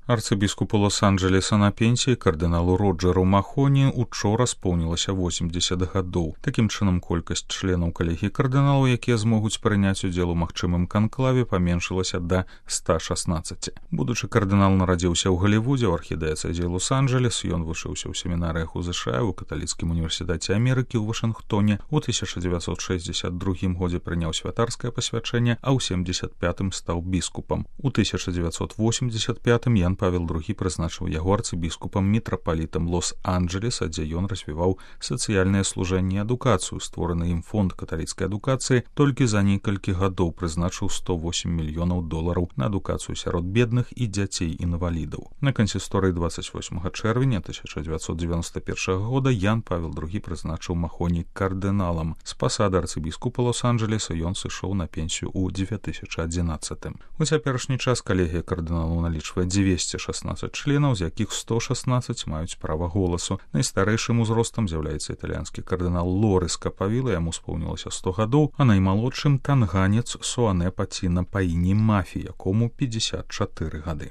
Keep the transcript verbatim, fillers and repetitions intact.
Арцыбіскупу Лос-Анджелеса на пенсіі кардыналу Роджеру Махоні учора споўнілася восемьдесят гадоў. Такім чынам, колькасць членаў калегіі кардыналаў, якія змогуць прыняць удзел у магчымым канклаве, паменшылася да ста шаснаццаці. Будучы кардынал нарадзіўся ў Галівудзе, ў архідыяцэзе Лос-Анджелес. Ён вучыўся ў семінарыях у ЗША, у каталіцкім універсітэце Амерыкі ў Вашынгтоне. У тысяча дзевяцьсот шэсцьдзесят другім годзе прыняў святарскае пасвячэнне, а ў семьдесят пятым стаў біскупам. У тысяча дзевяцьсот восемьдесят пятым Ян Павел другі прызначыў яго арцыбіскупам мітрапалітам Лос-Анджелеса, дзе ён развіваў сацыяльнае служэнне і адукацыю. Створаны ім фонд каталіцкай адукацыі толькі за некалькі гадоў прызначыў сто восем мільёнаў долараў на адукацыю сярод бедных і дзяцей-інвалідаў. На кансісторыі двадцать восьмага чэрвеня тысяча дзевяцьсот дзевяноста першага года Ян Павел другі прызначыў Махоні кардыналам. З пасады арцыбіскупа Лос-Анджелеса ён сышоў на пенсію ў дзве тысячы адзінаццатым. У цяперашні час калегія кардыналаў налічвае дзвесце шаснаццаць членаў, з якіх сто шаснаццаць маюць права голасу. Найстарэйшым узростам з'яўляецца італьянскі кардынал Лорис Капавіла, яму споўнілася сто гадоў, а наймалодшым танганец Суане Паціна па імені Мафі, якому пятьдесят чатыры гады.